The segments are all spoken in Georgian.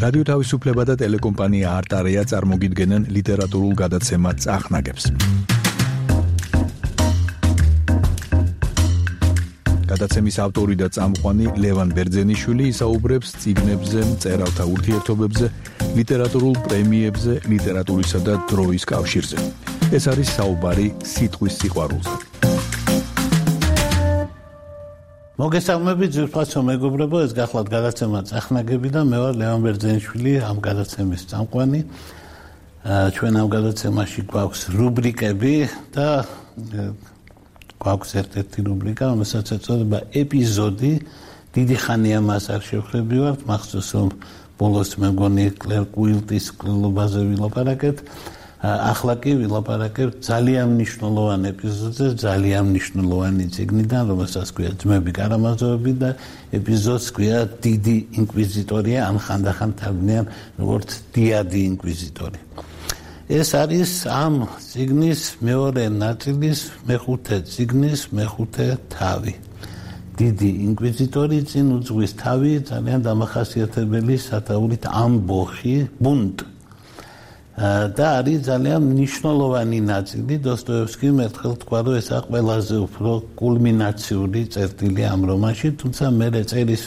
რადიო თავისუფლება და ტელეკომპანია არტარია წარმოგიდგენენ ლიტერატურულ გადაცემა წახნაგებს. გადაცემის ავტორი და წამყვანი ლევან ბერძენიშვილი ისაუბრებს წიგნებზე, მწერალთა ურთიერთობებზე, ლიტერატურულ პრემიებზე, ლიტერატურისა და დროის კავშირზე. ეს არის საუბარი სიტყვის სიყვარულზე. მოგესალმებით ძვირფასო მეგობრებო, ეს გახლავთ გადაცემა წახნაგები და მე ვარ ლევან ბერძენიშვილი, ამ გადაცემის წამყვანი. ჩვენ ამ გადაცემაში გვაქვს რუბრიკები და გვაქვს ერთ-ერთი რუბრიკა, რომელსაც ეწოდება ეპიზოდი. დიდი ხანია მას არ შევხვდებით, მახსოვს რომ ბოლოს მე მგონი კლერ კუილტის კვლელობაზე ვილაპარაკეთ. ახლა კი ვილაპარაკებთ ძალიან მნიშვნელოვან ეპიზოდზე, ძალიან მნიშვნელოვანი წიგნიდან, რომელსაც ქვია ძმები კარამაზოვები და ეპიზოდს ქვია დიდი ინკვიზიტორია, ან ხანდახან თარგმნიან როგორც დიადი ინკვიზიტორი. ეს არის ამ წიგნის მეორე ნაწილის მეხუთე წიგნის მეხუთე თავი. დიდი ინკვიზიტორი წინ უძღვის თავი, ძალიან დამახასიათებელი სათაურით ამბოხი, ბუნტ. და არის ძალიან მნიშვნელოვანი ნაწილი. დოსტოევსკიმ ერთხელ თქვა, რომ ესა ყველაზე უფრო კულმინაციური წერტილი ამ რომანში, თუმცა მე წერის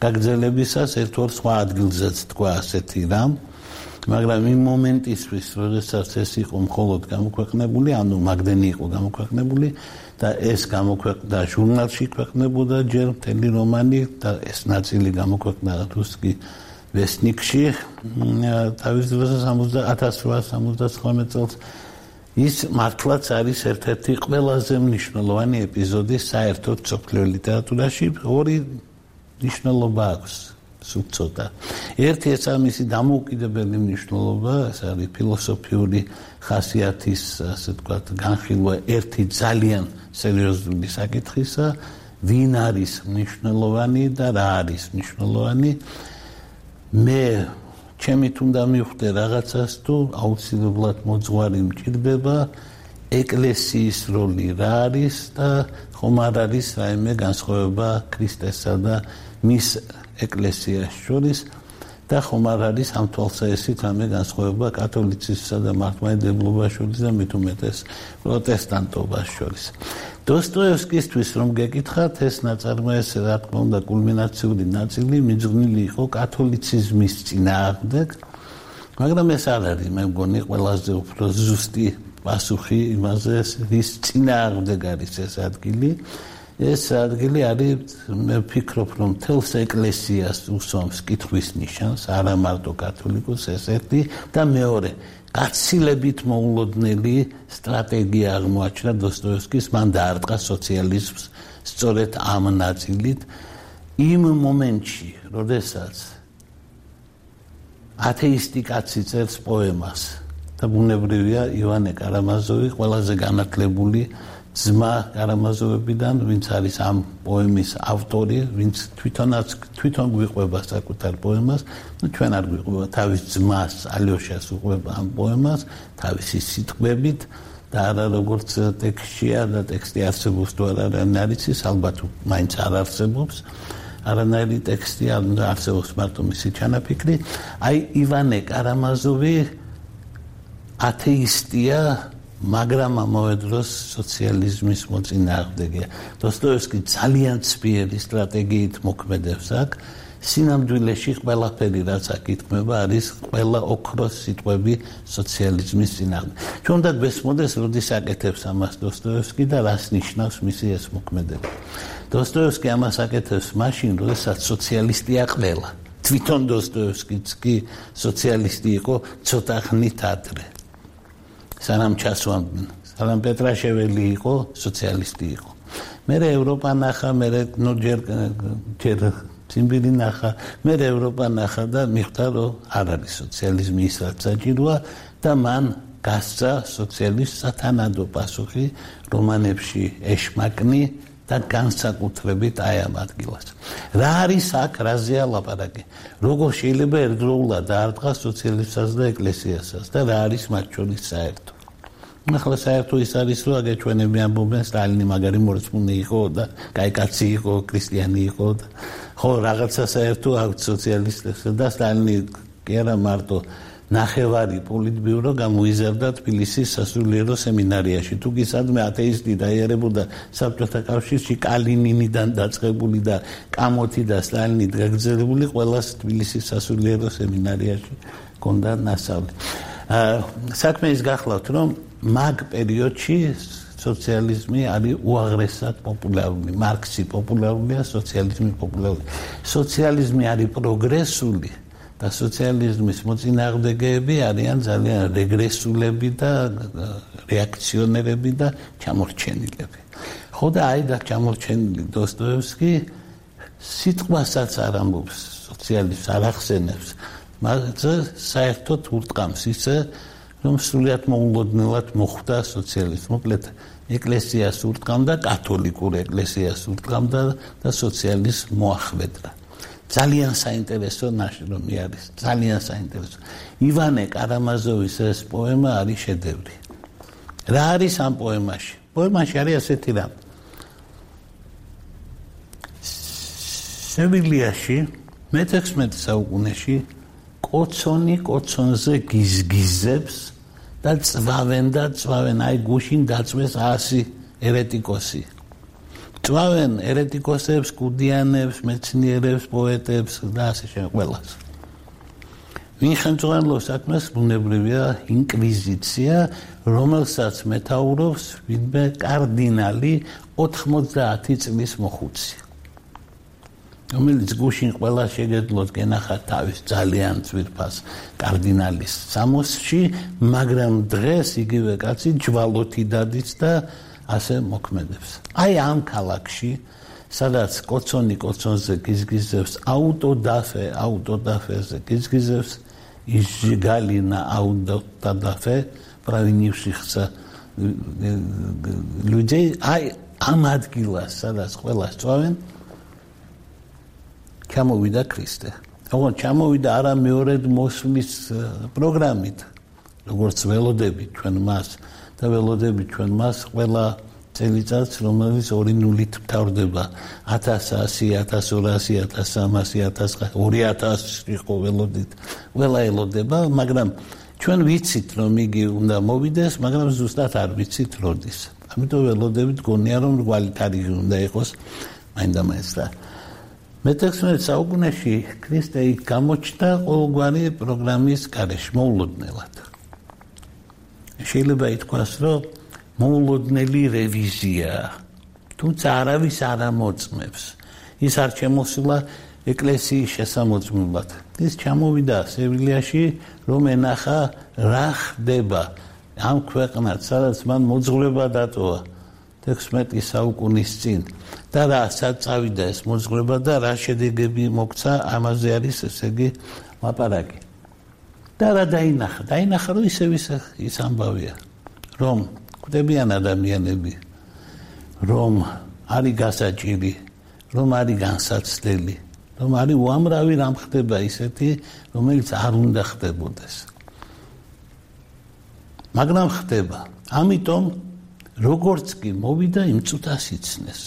გაგრძელებისას ერთ-ორ სხვა ადგილზეც თქვა ასეთი რამ, მაგრამ იმ მომენტისთვის, როდესაც ეს იყო მხოლოდ გამოქვეყნებული, ანუ მაგდენი იყო გამოქვეყნებული და ეს გამოქვეყნდა ჟურნალში ქვეყნებოდა ჯერ მთელი რომანი და ეს ნაწილი გამოქვეყნდა რუსკი ვესნიკში თავის დროზე 1879 წელს. ის მართლაც არის ერთ-ერთი ყველაზე მნიშვნელოვანი ეპიზოდი საერთოდ მსოფლიო ლიტერატურაში. ორი მნიშვნელობა აქვს, სულ ცოტა. ერთი ეს მისი დამოუკიდებელი მნიშვნელობა, ეს არის ფილოსოფიური ხასიათის, ასე ვთქვათ, განხილვა ერთი ძალიან სერიოზული საკითხისა, ვინ არის მნიშვნელოვანი და რა არის მნიშვნელოვანი. მე ჩემით უნდა მივხვდე რაღაცას თუ აუცილებლად მოძღვარი მჭირდება, ეკლესიის როლი რა არის და ხომ არ არის რაიმე განსხვავება ქრისტესა და მის ეკლესიას შორის და ხომ არ არის ამ თვალსაჩინო რამე განსხვავება კათოლიციზმსა და მართლმადიდებლობას შორის და მით უმეტეს პროტესტანტობას შორის. დოსტოევსკისთვის რომ გეკითხათ, ეს ნაწარმოები, რა თქმა უნდა, კულმინაციური ნაწილი მიძღვნილი იყო კათოლიციზმის წინააღმდეგ, მაგრამ ეს არ არის, მე მგონი, ყველაზე უფრო ზუსტი პასუხი იმაზე, რის წინააღმდეგ არის ეს ადგილი. ეს ადგილი არის, მე ვფიქრობ, რომ მთელს ეკლესიას უსვამს კითხვის ნიშანს, არა მარტო კათოლიკოს, ეს ერთი და მეორე. გაცილებით მოულოდნელი სტრატეგია აღმოაჩინა დოსტოევსკის, მან დაარტყა სოციალიზმს სწორედ ამ ნაწილით. იმ მომენტში, როდესაც ათეისტი კაცი წერს პოემას და ბუნებრივია ივანე კარამაზოვი, ყველაზე განათლებული ძმა კარამაზოვებიდან, ვინც არის ამ პოემის ავტორი, ვინც თვითონ გვიყვება საკუთარ პოემას, ჩვენ არ გვიყვება თავის ძმას ალიოშას უყვება ამ პოემას თავისი სიტყვებით და არა როგორც ტექსტია და ტექსტი არსებობს თუ არა არის ის, ალბათ მაინც არ არსებობს არანაირი ტექსტი, არსებობს მარტო მისი ჩანაფიქრი. აი ივანე კარამაზოვი ათეისტია, მაგრამ ამავე დროს სოციალიზმის მოწინააღმდეგეა. დოსტოევსკი ძალიან ცბიერი სტრატეგიით მოქმედებს აქ. სინამდვილეში ყველაფერი, რაც აქ ითქმება, არის ყველა ოქროს სიტყვები სოციალიზმის წინააღმდეგ. ჩვენ უნდა გვესმოდეს, როდის აკეთებს ამას დოსტოევსკი და რას ნიშნავს მისი ეს მოქმედება. დოსტოევსკი ამას აკეთებს მაშინ, როდესაც სოციალისტია ყველა. თვითონ დოსტოევსკიც კი სოციალისტი იყო ცოტა ხნით ადრე. სანამ ჩასვამდნენ, სანამ პეტრაშეველი იყო, სოციალისტი იყო. მერე ევროპა ნახა, მერე ჯერ ციმბირი ნახა, მერე ევროპა ნახა და მიხვდა, რომ არ არის სოციალიზმი ის, რაც საჭიროა და მან გასცა სოციალიზმს სათანადო პასუხი რომანებში ეშმაკნი და განსაკუთრებით აი ამ ადგილას. რა არის აქ, რაზეა ლაპარაკი? როგორ შეიძლება ერთდროულად დაარტყას სოციალიზმსაც და ეკლესიასაც და რა არის მათ შორის საერთო? ახლა საერთო ის არის, რომ აგეჩვენები ამბობენ სტალინი მაგარი მორწმუნე იყო და კაი კაცი იყო, ქრისტიანი იყო და ხო რაღაცა საერთო აქვს სოციალისტებს და სტალინი კი არა მარტო ნახევარი პოლიტბიურო გამოიზარდა თბილისის სასულიერო სემინარიაში. თუ კი სადმე ათეისტი დაიარებოდა საბჭოთა კავშირში კალინინიდან დაწყებული და კამოთი და სტალინით გაგრძელებული ყველას თბილისის სასულიერო სემინარიაში ჰქონდა ნასწავლი. საქმე ის გახლავთ, რომ მაგ პერიოდში სოციალიზმი არის უაღრესად პოპულარული, მარქსი პოპულარულია, სოციალიზმი პოპულარულია. სოციალიზმი არის პროგრესული და სოციალიზმის მოწინააღმდეგეები არიან ძალიან რეგრესულები და რეაქციონერები და ჩამორჩენილები. ხო და აი და ჩამორჩენილი დოსტოევსკი სიტყვასაც არ ამბობს სოციალიზმს, არ ახსენებს, მაგრამ საერთოდ ურტყამს ისე, რომ სრულიად მოულოდნელად მოხვდა სოციალიზმი. მოკლედ ეკლესიას ურტყამდა, კათოლიკურ ეკლესიას ურტყამდა და სოციალიზმს მოახვედრა. ძალიან საინტერესო ნაშრომი არის, ძალიან საინტერესო. ივანე კარამაზოვის ეს პოემა არის შედევრი. რა არის ამ პოემაში? პოემაში არის ასეთი რამ. სევილიაში მე-16 საუკუნეში კოცონი კოცონზე გიზგიზებს და წვავენ, აი გუშინ დაწვეს 100 ერეტიკოსი. წვავენ ერეტიკოსებს, კუდიანებს, მეცნიერებს, პოეტებს და ასე შემდეგ ყველას. ვინ ხელმძღვანელობს საქმეს? ბუნებრივია ინკვიზიცია, რომელსაც მეთაურობს ვინმე კარდინალი 80 წლის მოხუცი. რომელიც გუშინ ყველა შეგეძლოთ გენახათ თავის ძალიან ძვირფას კარდინალის სამოსში, მაგრამ დღეს იგივე კაცი ჯვალოთი დადის და ასე მოქმედებს. აი ამ ქალაქში, სადაც კოცონი კოცონზე გიზგიზებს, აუტოდაფეზე გიზგიზებს, изжигалина аутодafе провинившихся людей, აი ამ ადგილას, სადაც ყველა სწავენ, ჩამოვიდა ქრისტე. ოღონდ ჩამოვიდა არა მეორედ მოსვლის პროგრამით, როგორც ველოდებით ჩვენ მას და ველოდებით ჩვენ მას ყველა წელიწადს, რომელიც 2 ნულით მთავრდება 1100, 1200, 1300, 2000 იყო ველოდით. ყველა ელოდება, მაგრამ ჩვენ ვიცით, რომ იგი უნდა მოვიდეს, მაგრამ ზუსტად არ ვიცით როდის. ამიტომ ველოდებით გონია, რომ ვალითარი უნდა იყოს მაინდა-მაინც და მე-16 საუკუნეში ქრისტე იქ გამოჩნდა ყოველგვარი პროგრამის გარეშე, მოულოდნელად. შეიძლება ითქვას, რომ მოულოდნელი რევიზია, თუმცა არავის არ ამოწმებს. ის არ შემოსულა ეკლესიის შესამოწმებლად. ის ჩამოვიდა სევილიაში, რომ ენახა რა ხდება ამ ქვეყნად, სადაც მან მოძღვრება დატოვა 16 საუკუნის წინ და რა საწავიდა ეს მოძღვრება და რა შედეგები მოგცა, ამაზე არის ესე იგი ლაპარაკი. და რა დაინახა, რომ ისევ ის ამბავია, რომ კვდებიან ადამიანები, რომ არის გასაჭირი, რომ არის განსაცდელი, რომ არის უამრავი რამ ხდება ისეთი, რომელიც არ უნდა ხდებოდეს. მაგრამ ხდება. ამიტომ როგორც კი მოვიდა იმ წუთას იცნეს.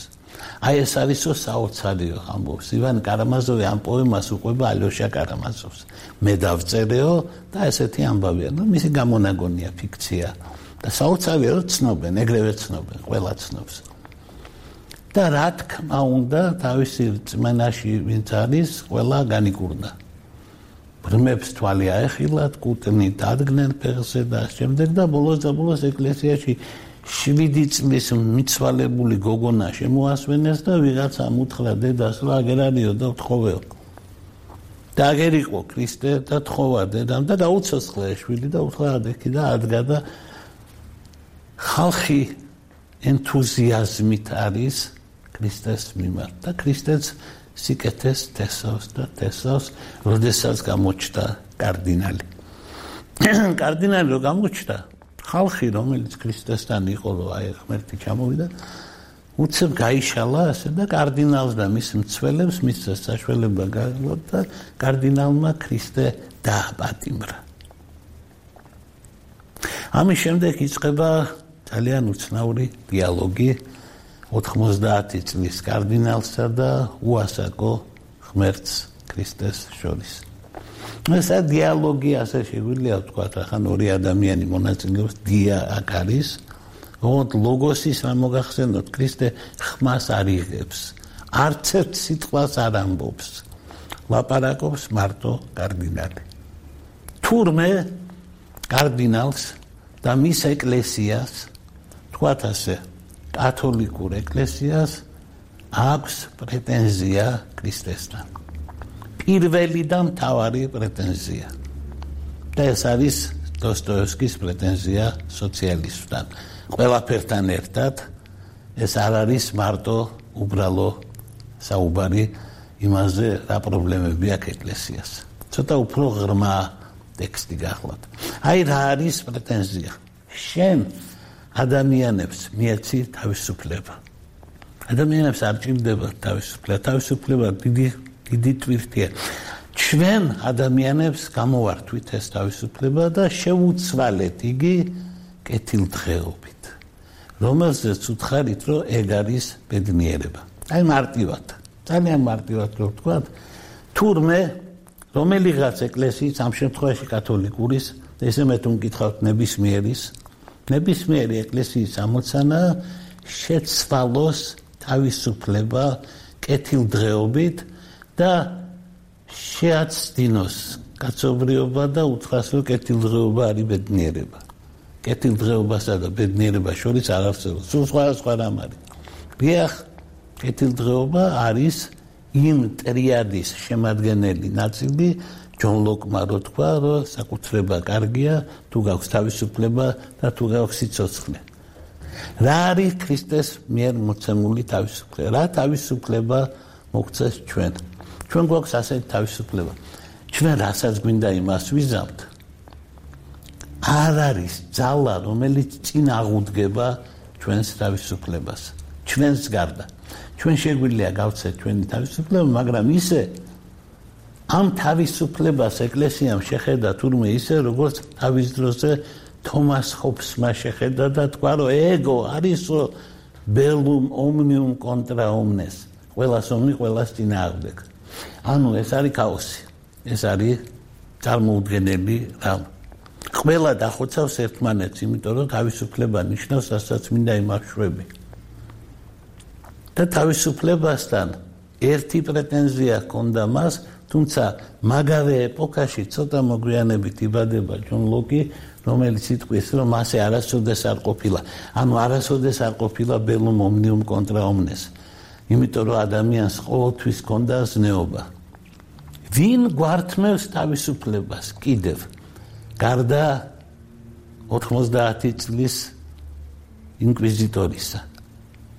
აი ეს არისო საოცარიო ამბობს. ივან კარამაზოვი ამ პოემას უყვება ალოშა კარამაზოვს. მე დავწერეო და ესეთი ამბავია. ნუ მისი გამონაგონია ფიქცია. და საოცარია რომ ცნობენ, ეგრევე ცნობენ, ყველა ცნობს. და რა თქმა უნდა, თავისი რწმენაში ვინც არის, ყველა განიკურნა. ბრმებს თვალი აეხილათ, კუტნით ადგნენ ფეხზე და შემდეგ და ბოლოს ეკლესიაში 7 წლის მიცვალებული გოგონა შემოასვენეს და ვიღაცამ უთხრა დედას, რომ აგერ არისო და თხოვეო. და აგერ იყო ქრისტე და თხოვა დედამ და გაუცოცხლა შვილი და უთხრა ადექი და ადგა და ხალხი ენთუზიაზმით არის ქრისტეს მიმართ და ქრისტეც სიკეთეს თესავს, როდესაც გამოჩნდა კარდინალი. კარდინალი რო გამოჩნდა, ხალხი რომელიც ქრისტესთან იყო, რომ აი ღმერთი ჩამოვიდა, უცებ გაიშალა ასე და კარდინალს და მის მცველებს მისცა საშუალება გაიგოთ და კარდინალმა ქრისტე დააპატიმრა. ამის შემდეგ იწყება ძალიან უცნაური დიალოგი 90 წლის კარდინალსა და უასაკო ღმერთს ქრისტეს შორის. ეს დიალოგი ასე შეგვიძლია ვთქვათ, ახლა ორი ადამიანი მონაწილეობს, დია აქ არის, ოღონდ ლოგოსის რა მოგახსენოთ, ქრისტე ხმას არ იღებს, არც ერთ სიტყვას არ ამბობს, ლაპარაკობს მარტო კარდინალი. თურმე კარდინალს და მის ეკლესიას, თქვათ ასე, კათოლიკურ ეკლესიას აქვს პრეტენზია ქრისტესთან. პირველი და მთავარი პრეტენზია. და ეს არის დოსტოევსკის პრეტენზია სოციალისტთან. ყველაფერთან ერთად ეს არ არის მარტო უბრალო საუბარი იმაზე, რა პრობლემები აქვს ეკლესიას. ცოტა უფრო ღრმა ტექსტი გახლავთ. აი რა არის პრეტენზია? შენ ადამიანებს მიეცი თავისუფლება. ადამიანებს არ ჭირდება თავისუფლება. თავისუფლება დიდი ტვირთია. ჩვენ ადამიანებს გამოვართვით ეს თავისუფლება და შევუცვალეთ იგი კეთილდღეობით, რომელზეც უთხარით, რომ ეგ არის ბედნიერება. აი მარტივად, ძალიან მარტივად რო ვთქვათ, თურმე რომელიღაც ეკლესიის, ამ შემთხვევაში კათოლიკურის, ესე მე თუ მკითხავთ ნებისმიერი ეკლესიის ამოცანა შეცვალოს თავისუფლება კეთილდღეობით და შეაცდინოს კაცობრიობა და უთხრას, რომ კეთილდღეობა არის ბედნიერება. კეთილდღეობასა და ბედნიერებას შორის არ არსებობს. სულ სხვა რამ არის. დიახ, კეთილდღეობა არის იმ ტრიადის შემადგენელი ნაწილი, ჯონ ლოკმა რო თქვა, რომ საკუთრება კარგია, თუ გაქვს თავისუფლება და თუ გაქვს სიცოცხლე. რა არის ქრისტეს მიერ მოცემული თავისუფლება? რა თავისუფლება მოგცეს ჩვენ? ჩვენ გვაქვს ასეთი თავისუფლება. ჩვენ რასაც გვინდა იმას ვიზამთ. არ არის ძალა, რომელიც წინ აღუდგება ჩვენს თავისუფლებას. ჩვენს გარდა. ჩვენ შეგვიძლია გავცეთ ჩვენი თავისუფლება, მაგრამ ისე ამ თავისუფლებას ეკლესიამ შეხედა თურმე ისე, როგორც თავის დროზე თომას ჰობსმა შეხედა და თქვა, რომ ეგო არისო ბელუმ ომნიუმ კონტრა ომნეს. ყველას ომი, ყველას წინააღმდეგ. ანუ ეს არის ქაოსი. ეს არის წარმოუდგენელი რამ. ყველა დახოცავს ერთმანეთს, იმიტომ რომ თავისუფლება ნიშნავს რასაც მინდა იმაშვები. და თავისუფლებასთან ერთი პრეტენზია ჰქონდა მას, თუმცა მაგავე ეპოქაში ცოტა მოგვიანებით იბადება ჯონ ლოკი, რომელიც იტყვის, რომ მასე არასოდეს არ ყოფილა. ანუ არასოდეს არ ყოფილა ბელუმ ომნიუმ კონტრა ომნეს. იმიტომ რომ ადამიანს ყოველთვის ჰქონდა ზნეობა. ვინ გვართმევს თავისუფლებას კიდევ? გარდა 90 წლის ინკვიზიტორისა.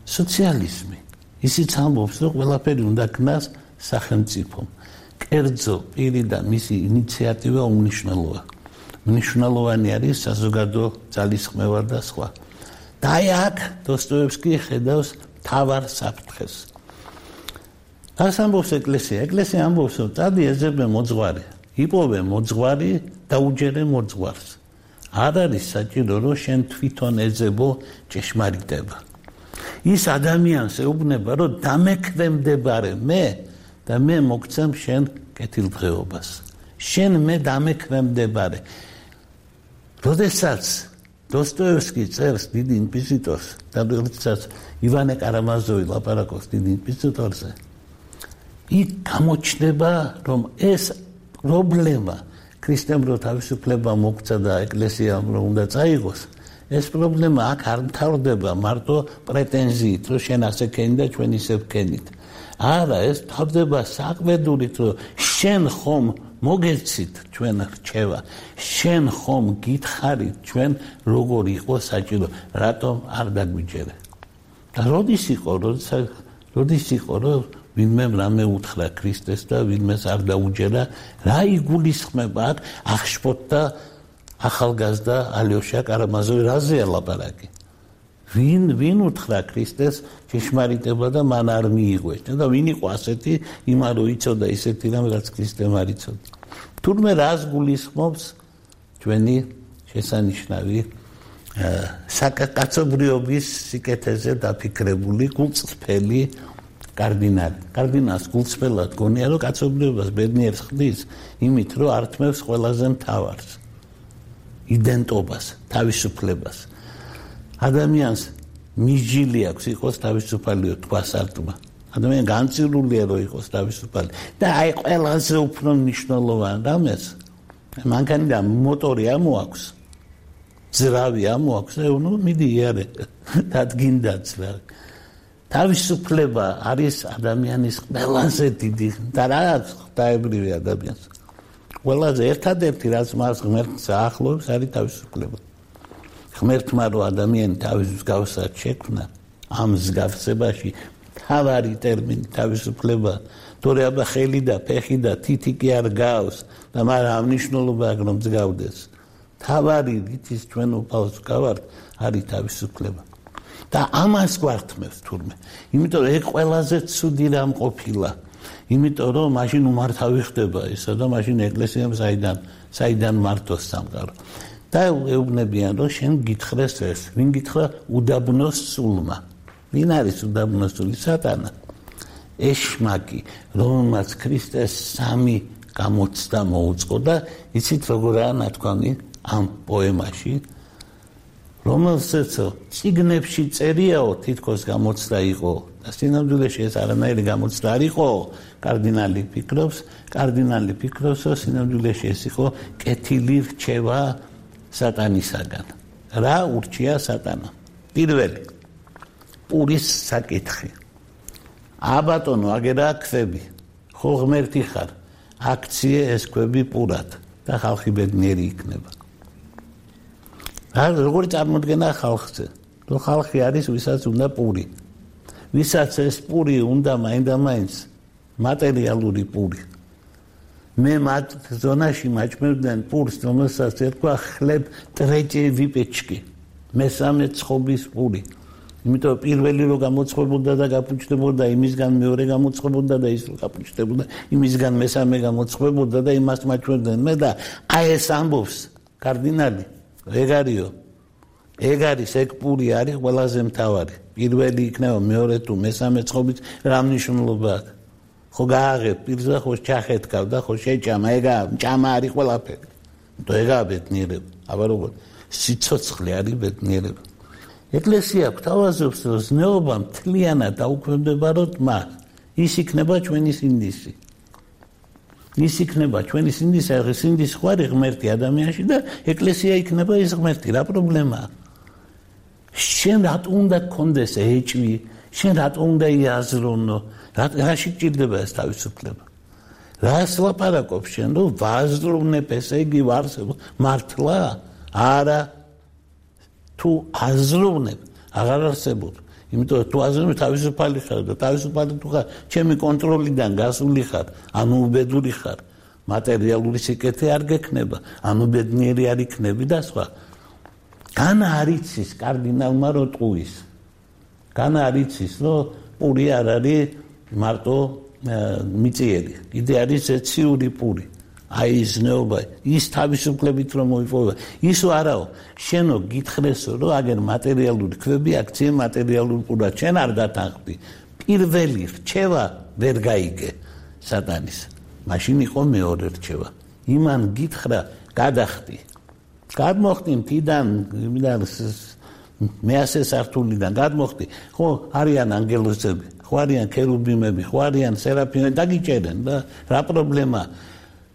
სოციალიზმი. ისიც ამბობს, რომ ყველაფერი უნდა ქნას სახელმწიფომ. კერძო პირი და მისი ინიციატივა უმნიშვნელოა. მნიშვნელოვანი არის საზოგადო ძალისხმევა და სხვა. და აი აქ დოსტოევსკი ხედავს თავარ საფრთხეს. რას ამბობს ეკლესია? ეკლესია ამბობს, რომ წადი ეძებე მოძღვარი, იპოვე მოძღვარი და უჯერე მოძღვარს. არ არის საჭირო, რომ შენ თვითონ ეძებო ჭეშმარიტება. ის ადამიანს ეუბნება, რომ დამექვემდებარე მე და მე მოგცემ შენ კეთილდღეობას. შენ მე დამექვემდებარე. როდესაც დოსტოევსკი წერს დიდ ინკვიზიტორს და როდესაც ივანე კარამაზოვი ლაპარაკობს დიდ ინკვიზიტორზე, იქ გამოჩნდება, რომ ეს პრობლემა ქრისტემ რო თავისუფლება მოგცა და ეკლესიამ რო უნდა წაიღოს, ეს პრობლემა აქ არ მთავრდება მარტო პრეტენზიით, რომ შენ ასე ქენი და ჩვენ ისე ვქენით. არა, ეს მთავრდება საყვედურით, რომ შენ ხომ მოგეცით ჩვენ რჩევა, შენ ხომ გითხარით ჩვენ როგორ იყო საჭირო, რატომ არ დაგვიჯერე. და როდის იყო, რომ ვინმე რამე უთხრა ქრისტეს და ვინმეს არ დაუჯერა, რა იგულისხმება აქ ახშპოთდა ახალგაზრდა ალიოშა კარამაზოვი რაზეა ლაპარაკი? ვინ უთხრა ქრისტეს ჭეშმარიტება და მან არ მიიღო და ვინ იყო ასეთი იმან რო იცოდა ისეთი რამ რაც ქრისტემ არ იცოდა. თურმე რას გულისხმობს ჩვენი შესანიშნავი საკაცობრიობის სიკეთეზე დაფიქრებული გულწრფელი კარდინალი. კარდინალს გულწრფელად გონია, რომ კაცობრიობას ბედნიერს ხდის იმით, რომ ართმევს ყველაზე მთავარს, იდენტობას, თავისუფლებას. ადამიანს მიჯილი აქვს იყოს თავისუფალიო თქვასართმა. ადამიანი განწირულია, რომ იყოს თავისუფალი. და აი ყველაზე უფრო მნიშვნელოვანი რამეს მანქანიდან მოტორი ამოაქვს. ძრავი ამოაქვს, ნუ მიდი იარე, დადგინდაც რა. თავისუფლება არის ადამიანის ყველაზე დიდი და რა ღვთაებრივი ადამიანს. ყველაზე ერთადერთი რაც მას ღმერთს აახლოებს არის თავისუფლება. ღმერთმა რო ადამიანი თავის მსგავსად შექმნა, ამ მსგავსებაში თავარი ტერმინი თავისუფლება, თორე აბა ხელი და ფეხი და თითი კი არ გავს და მაგრამ ამ მნიშვნელობა აქვს რომ მსგავდეს. თავარი რის ჩვენ უფალს გავართ არის თავისუფლება. და ამას გვართმევს თურმე. იმიტომ რომ ეგ ყველაზე ცუდი რამ ყოფილა. იმიტომ რომ მაშინ უმართავი ხდება ისა და მაშინ ეკლესიამ საიდან მართოს სამყარო. და ეუბნებიან რომ შენ გითხრეს ეს. ვინ გითხრა უდაბნოს სულმა. ვინ არის უდაბნოს სული? სატანა. ეშმაკი, რომელმაც ქრისტეს 3 გამოცდა მოუწყო და იცით როგორაა ნათქვამი ამ პოემაში, რომელსაც წიგნებში წერიაო თითქოს გამოცდა იყო და სინამდვილეში ეს არანაირი გამოცდა არ იყო, კარდინალი ფიქრობს, რომ სინამდვილეში ეს იყო კეთილი რჩევა სატანისაგან. რა ურჩია სატანა? პირველი პურის საკითხი. აბატონო, აგერა ქვები. ხო ღმერთი ხარ. აქციე ეს ქვები პურად და ხალხი ბედნიერი იქნება. როგორი წარმოდგენა ხალხზე? რომ ხალხი არის ვისაც უნდა პური. ვისაც ეს პური უნდა მაინდამაინც მატერიალური პური. მე მათ ზონაში მაჭმევდნენ პურს, რომელსაც ერქვა ხლებ ტრეჭე ვიპეჩკი. მესამე ცხობის პური. იმიტომ პირველი რო გამოცხებოდა და გაფუჭდებოდა, იმისგან მეორე გამოცხებოდა და ის რო გაფუჭდებოდა, იმისგან მესამე გამოცხებოდა და იმას მაჭმევდნენ მე და აი ეს ამბობს კარდინალი ეგ არის ეგ პური არის ყველაზე მთავარი. პირველი იქნება მეორე თუ მესამე ცხობით რა მნიშვნელობა აქვს? ხო გააღებ პირზე, ხო ჩახეთქავ და ხო შეჭამა, ეგაა ჭამა არის ყველაფერი. თუ ეგაა ბედნიერება. აბა როგორ სიცოცხლე არის ბედნიერება. ეკლესია გვთავაზობს, რომ ზნეობა მთლიანად დაუქვემდებაროთ მას. ის იქნება ჩვენი სინდისი. ის იქნება ჩვენი სინდისი, სინდისი ხო არის ღმერთი ადამიანში და ეკლესია იქნება ის ღმერთი. რა პრობლემაა? შენ რატომ უნდა გქონდეს ეჭვი? შენ რატომ უნდა იაზრონო? რაში გჭირდება ეს თავისუფლება? რას ლაპარაკობს შენ, რომ ვაზროვნებ, ესე იგი ვარსებ მართლა? არა. თუ აზროვნებ, აღარ არსებობს. იმიტომ თუ აზროვნებ თავისუფალი ხარ და თავისუფალი თუ ხარ, ჩემი კონტროლიდან გასული ხარ, ანუ უბედური ხარ. მატერიალური სიკეთე არ გექნება, ანუ ბედნიერი არ იქნები და სხვა. განა არ იცის კარდინალმა რო ტყუის. განა არ იცის, რომ პური არ არის მარტო მიწიერი. კიდე არის ეციური პური. აი ის ზნეობა, ის თავისუფლებით რომ მოიპოვა. ისო არაო, შენო გითხრესო, რომ აგერ მატერიალური ქვები აქციე მატერიალურ პურად, შენ არ დათანხმდი. პირველი რჩევა ვერ გაიგე სატანის. მაშინ იყო მეორე რჩევა. იმან გითხრა, გადახდი. გადმოხდი მთიდან, მეასე სართულიდან გადმოხდი. ხო, არიან ანგელოზები, ხო არიან ქერუბიმები, ხო არიან სერაფიმები, დაგიჭერენ და რა პრობლემა?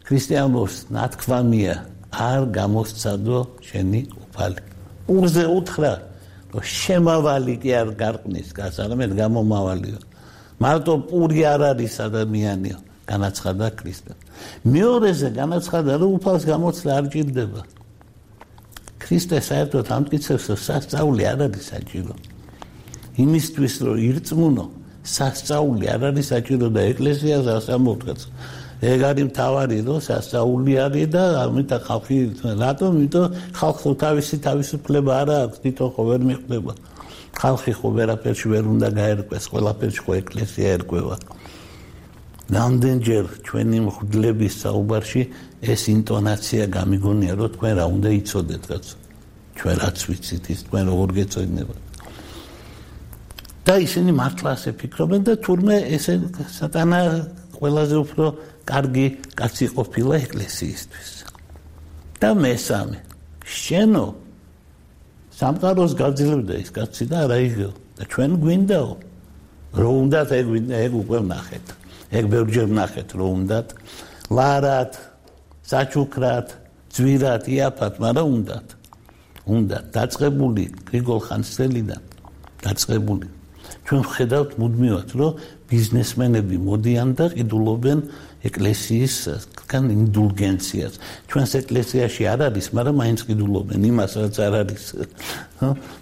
ქრისტიანობს ნათქვამია, არ გამოსცადო შენი უფალი. პურზე უთხრა, რომ შემავალი კი არ გარყნის გას, არამედ გამომავალიო. მარტო პური არ არის ადამიანიო, განაცხადა ქრისტე. მეორეზე განაცხადა, რომ უფალს გამოცდა არ ჭირდება. ქრისტე საერთოდ ამტკიცებს, რომ სასწაული არ არის საჭირო. იმისთვის, რომ ირწმუნო, სასწაული არ არის საჭირო და ეკლესიას ასამოვდგაც. ეგ არის მთავარი, რომ სასწაული არის და ამიტომ ხალხი რატომ? იმიტომ ხალხს თავისი თავისუფლება არ აქვს, თვითონ ხო ვერ მიხვდება. ხალხი ხო ვერაფერში ვერ უნდა გაერკვეს, ყველაფერში ხო ეკლესია ერკვევა. რამდენჯერ ჩვენი მღვდლების საუბარში ეს ინტონაცია გამიგონია, რომ თქვენ რა უნდა იცოდეთ, კაცო. ჩვენ რაც ვიცით ის თქვენ როგორ გეწოდინებათ. და ისინი მართლა ასე ფიქრობენ და თურმე ესე სატანა ყველაზე უფრო კარგი კაცი ყოფილა ეკლესიისთვის. და მესამე, შენო სამყაროს გაძლევდა ის კაცი და არა იგო და ჩვენ გვინდაო. რო უნდათ ეგ უკვე ვნახეთ. ეგ ბევრჯერ ვნახეთ რო უნდათ ლარად, საჩუქრად, ძვირად, იაფად, მაგრამ უნდათ დაწყებული გრიგოლ ხანძთელიდან დაწყებული. ჩვენ ვხედავთ მუდმივად, რომ ბიზნესმენები მოდიან და ყიდულობენ ეკლესიისგან ინდულგენციას. ჩვენს ეკლესიაში არ არის, მაგრამ მაინც ყიდულობენ იმას, რაც არ არის.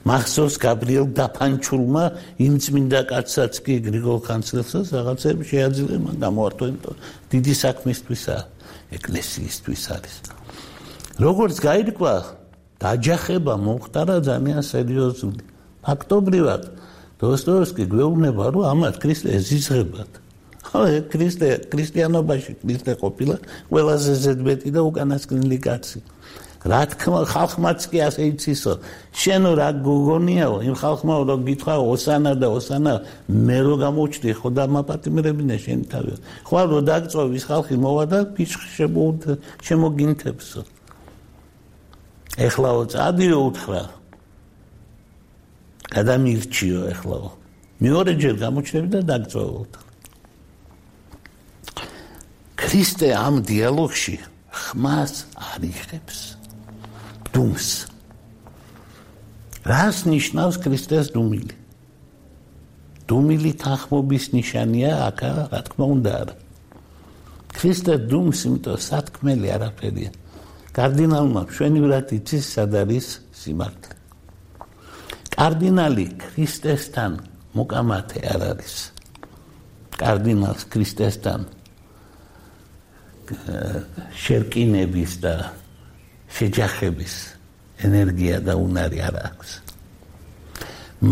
მახსოვს გაბრიელ დაფანჩულმა იმ წმინდა კაცსაც კი გრიგოლ ხანძთელსაც რაღაცები შეაძლია, მან გამოართვა, იმიტომ დიდი საქმისთვისაა, ეკლესიისთვის არის. როგორც გაირკვა, დაჯახება მომხდარა ძალიან სერიოზული. ფაქტობრივად დოსტოევსკი გვეუბნება, რომ ამათ ქრისტე ეზიზღებათ. ქრისტიანობაში ქრისტე ყოფილა ყველაზე ზედმეტი და უკანასკნელი კაცი. რა თქმა ხალხმაც კი ასე იცისო. შენო რა გოგონიაო, იმ ხალხმა რომ გითხრა ოსანა და ოსანა მე რო გამოჩდი ხო და მაპატიმრებინა შენ თავი. ხო რომ დაგწოვ ის ხალხი მოვა და ფიჩხი შემოგინთებსო. ეხლაო წადიო უთხრა. გადამირჩიო ეხლაო. მეორეჯერ გამოჩნდები და დაგწოვო. ქრისტე ამ დიალოგში ხმას არ იღებს. დუმს. რას ნიშნავს ქრისტეს დუმილი? დუმილი თანხმობის ნიშანია, აკა რა თქმა უნდა არა. ქრისტე დუმს, იმიტომ სათქმელი არაფერია. კარდინალმა მშვენივრად იცის, სად არის სიმართლე. კარდინალი ქრისტესთან მოკამათე არ არის. კარდინალს ქრისტესთან შერკინების და შეჯახების ენერგია და უნარი არ აქვს.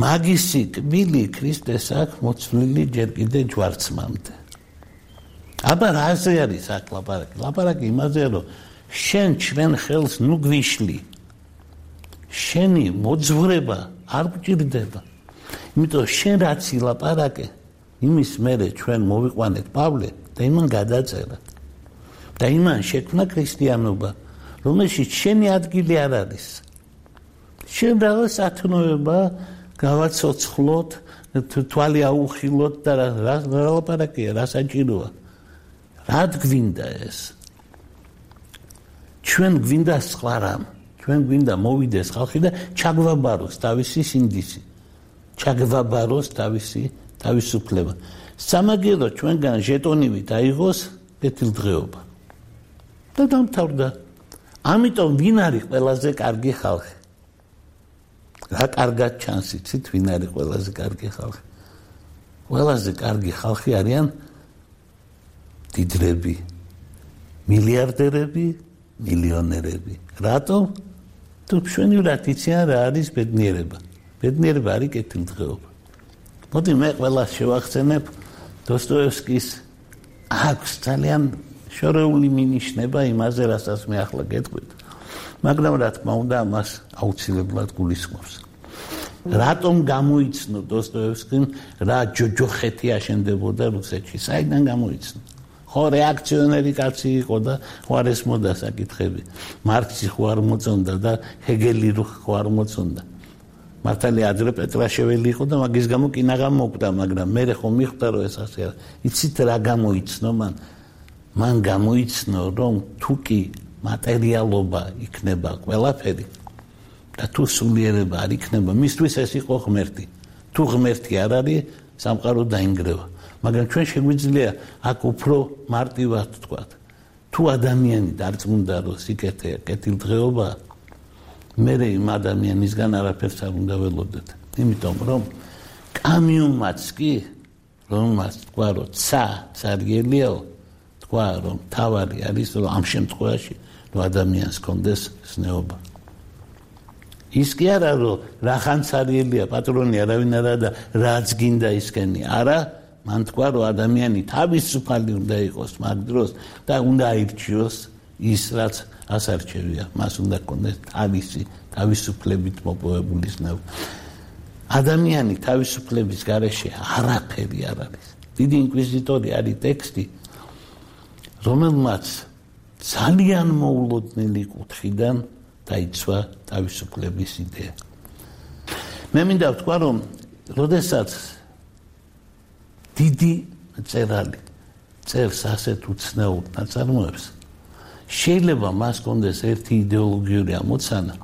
მაგისი კბილი ქრისტეს აქვს მოცვლილი ჯერ კიდე ჯვარცმამდე. აბა რაზე არის აქ ლაპარაკი? ლაპარაკი იმაზე, რომ შენ ჩვენ ხელს ნუ გვიშლი. შენი მოძღვრება არ გჭირდება. იმიტომ შენ რაც ილაპარაკე, იმის მერე ჩვენ მოვიყვანეთ პავლე და იმან გადაწერა. და იმან შექმნა ქრისტიანობა, რომელშიც შენი ადგილი არ არის. შენ რაღაც ათნოება გავაცოცხლოთ, თვალი აუხილოთ და რა ლაპარაკია, რა საჭიროა. რა გვინდა ეს? ჩვენ გვინდა სხვა რამ. ჩვენ გვინდა მოვიდეს ხალხი და ჩაგვაბაროს თავისი სინდისი. ჩაგვაბაროს თავისი თავისუფლება. სამაგერო ჩვენგან ჟეტონივით აიღოს კეთილდღეობა. და დამთავრდა. ამიტომ ვინ არის ყველაზე კარგი ხალხი? რა კარგად ჩანს იცით, ვინ არის ყველაზე კარგი ხალხი? ყველაზე კარგი ხალხი არიან დიდრები, მილიარდერები, მილიონერები. რატომ? თუ მშვენივრად იციან რა არის ბედნიერება. ბედნიერება არის კეთილდღეობა. მოდი მე ყველას შევახსენებ დოსტოევსკის აქვს ძალიან შორეული მინიშნება იმაზე, რასაც მე ახლა გეტყვით. მაგრამ რა თქმა უნდა, ამას აუცილებლად გულისხმობს. რატომ გამოიცნო დოსტოევსკიმ რა ჯოჯოხეთი აშენდებოდა რუსეთში? საიდან გამოიცნო? ხო რეაქციონერი კაცი იყო და ხო არ ესმოდა საკითხები. მარქსი ხო არ მოწონდა და ჰეგელი ხო არ მოწონდა. მართალია ადრე პეტრაშეველი იყო და მაგის გამო კინაღამ მოკვდა, მაგრამ მე ხო მიხვდა რომ ეს ასე არა. იცით რა გამოიცნო მან? მან გამოიცნო რომ თუ კი მატერიალობა იქნება ყველაფერი და თუ სულიერება არ იქნება, მისთვის ეს იყო ღმერთი. თუ ღმერთი არ არის, სამყარო დაინგრევა. მაგრამ ჩვენ შეგვიძლია აქ უფრო მარტივად ვთქვათ. თუ ადამიანი დარწმუნდა რომ სიკეთე კეთილდღეობა, მე იმ ადამიანისგან არაფერს არ უნდა ველოდეთ. იმიტომ რომ კამიუმაც კი რომელმაც თქვა რომ ცარიელიაო, თქვა რომ თავარი არის რომ ამ შემთხვევაში რომ ადამიანს კონდეს სნეობა. ის კი არა რომ რახან ცარიელია პატრონი არავინ არა და რაც გინდა ისკენი. არა, მან თქვა რომ ადამიანი თავისუფალი უნდა იყოს მაგ დროს და უნდა აირჩიოს ის რაც ასარჩევია, მას უნდა კონდეს თავისუფლებით მოპოვებული ზნეობა. ადამიანი თავისუფლების გარეშე არაფერი არ არის. დიდი ინკვიზიტორი არის ტექსტი, რომელმაც ძალიან მოულოდნელი კუთხიდან დაიცვა თავისუფლების იდეა. მე მინდა ვთქვა, რომ როდესაც დიდი მწერალი წერს ასეთ უცნაურ ნაწარმოებს, შეიძლება მას კონდეს ერთი იდეოლოგიური ამოცანა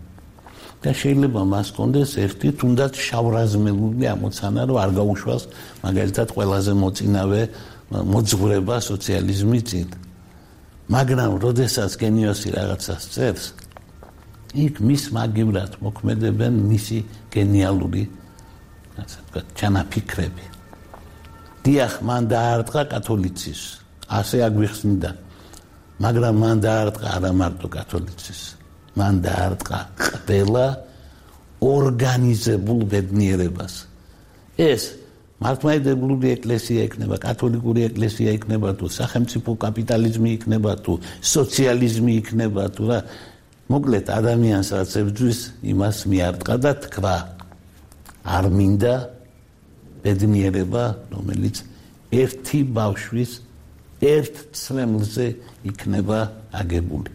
და შეიძლება მას კონდეს ერთი თუნდაც შავრაზმელული ამოცანა, რომ არ გაუშვას მაგალითად ყველაზე მოწინავე მოძღვრება სოციალიზმის წინ. მაგრამ როდესაც გენიოსი რაღაცას წერს, იქ მის მაგივრად მოქმედებენ მისი გენიალური ჩანაფიქრები. დიახ, მან დაარტყა კათოლიციზმს, ასე აგვიხსნიდა, მაგრამ მან დაარტყა არა მარტო კათოლიციზმს, მან დაარტყა ყველა ორგანიზებულ ბედნიერებას. ეს მართლმადიდებლური ეკლესია იქნება, კათოლიკური ეკლესია იქნება თუ სახელმწიფო კაპიტალიზმი იქნება თუ სოციალიზმი იქნება თუ რა, მოკლედ ადამიანს რაც ებრძვის, იმას მიარტყა და თქვა, არ მინდა ბედნიერება, რომელიც ერთი ბავშვის ერთ ცრემლზე იქნება აგებული.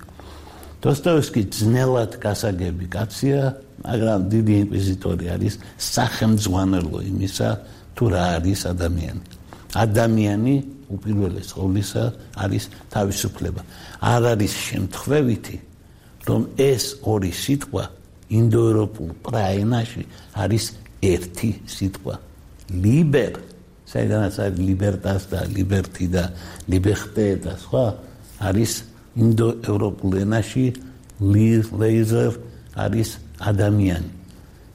დოსტოევსკი ძნელად გასაგები კაცია, მაგრამ დიდი ინკვიზიტორი არის სახელმძღვანელო იმისა, თუ რა არის ადამიანი. ადამიანი უპირველეს ყოვლისა არის თავისუფლება. არ არის შემთხვევითი, რომ ეს ორი სიტყვა ინდოევროპულ პრაენაში არის ერთი სიტყვა. ლიბერ, საიდანაც არის ლიბერტას და ლიბერტი და ლიბერტე და სხვა, არის ინდოევროპულ ენაში ლეიზერ არის ადამიანი.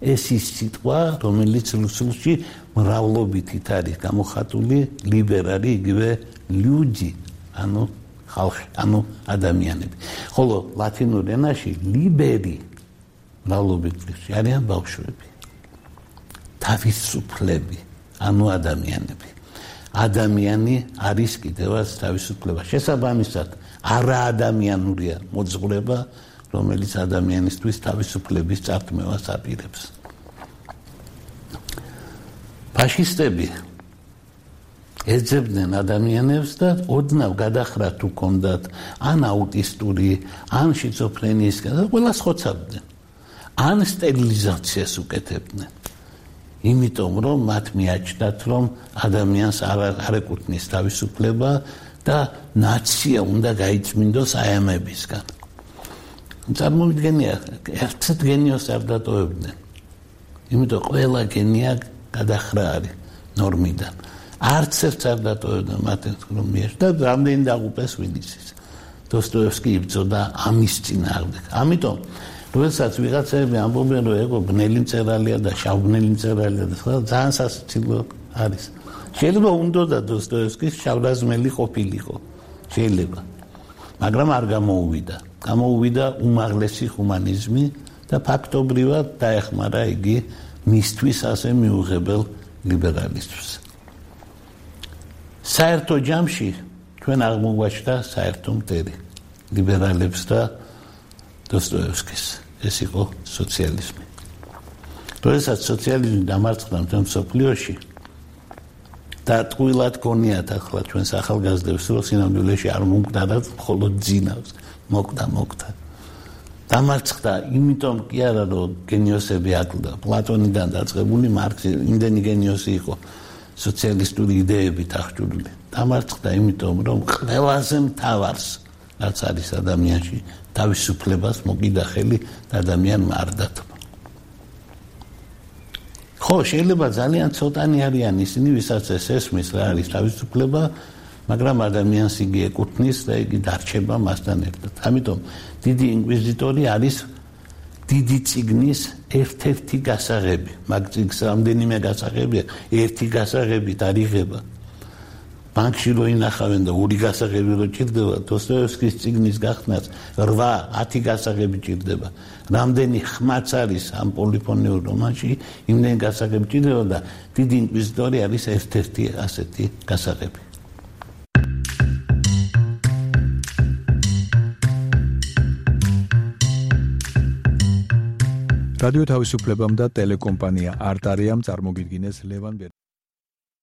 ეს ის სიტყვა, რომელიც რუსულში მრავლობითით არის გამოხატული, ლიბერ არის იგივე люди, ანუ ხალხი, ანუ ადამიანები. ხოლო ლათინურ ენაში ლიბერი მრავლობითში არიან ბავშვები. თავისუფლები, ანუ ადამიანები. ადამიანი არის კიდევაც თავისუფლება. შესაბამისად, არაადამიანურია მოძღვრება, რომელიც ადამიანისთვის თავისუფლების წარქმევას აპირებს. ფაშისტები ეძებდნენ ადამიანებს და ოდნავ გადახრათ თუ კონდათ ან აუტისტური, ან შიზოფრენიის, ყველას ხოცავდნენ. ან სტერილიზაციას უკეთებდნენ. იმიტომ რომ მათ მიაჩნდათ, რომ ადამიანს არ ეკუთვნის თავისუფლება და ნაცია უნდა გაიწმინდოს აემებისგან. წარმოვიდგენია, ერთ გენიოს არ დატოვებდნენ. იმიტომ ყველა გენია გადახრა არის ნორმიდან. არც ერთს არ დატოვებდნენ მათ რომ მიეშვა და რამდენი დაღუპეს ვილიცის. დოსტოევსკი იბრძოდა ამის წინააღმდეგ. ამიტომ როდესაც ვიღაცები ამბობენ, რომ ეგო ბნელი მწერალია და შავბნელი მწერალია და სხვა, ძალიან სასიცილო არის. შეიძლება უნდოდა დოსტოევსკის შავრაზმელი ყოფილიყო. შეიძლება. მაგრამ არ გამოუვიდა. გამოუვიდა უმაღლესი ჰუმანიზმი და ფაქტობრივად დაეხმარა იგი მისთვის ასე მიუღებელ ლიბერალიზმს. საერთო ჯამში ჩვენ აღმოგვაჩნდა საერთო მტერი ლიბერალებს და დოსტოევსკის. ეს იყო სოციალიზმი. როდესაც სოციალიზმი დამარცხდა მთელ მსოფლიოში და ტყუილად გონიათ ახლა ჩვენს ახალგაზრდებს, რომ სინამდვილეში არ მომკვდა და მხოლოდ ძინავს. მოკვდა. დამარცხდა, იმიტომ კი არა, რომ გენიოსები აკლდა. პლატონიდან დაწყებული მარქსი, იმდენი გენიოსი იყო სოციალისტური იდეებით აღჭურვილი. დამარცხდა, იმიტომ რომ ყველაზე მთავარს, რაც არის ადამიანში, თავისუფლებას მოკიდა ხელი და ადამიანმა არ დათმო. ხო, შეიძლება ძალიან ცოტანი არიან ისინი, ვისაც ეს ესმის რა არის თავისუფლება, მაგრამ ადამიანს იგი ეკუთვნის და იგი დარჩება მასთან ერთად. ამიტომ დიდი ინკვიზიტორი არის დიდი წიგნის ერთ-ერთი გასაღები. მაგ წიგნს რამდენიმე გასაღებია, ერთი გასაღებით არ იღება. ბანკში რო ინახავენ და ორი გასაღები რო ჭირდება, დოსტოევსკის წიგნის გახსნას 8-10 გასაღები ჭირდება. რამდენი ხმაც არის ამ პოლიფონიურ რომანში, იმდენი გასაღები ჭირდება და დიდი ინკვიზიტორი არის ერთ-ერთი ასეთი გასაღები. რადიო თავისუფლებამ და ტელეკომპანია არტარიამ წარმოგიდგინეს ლევან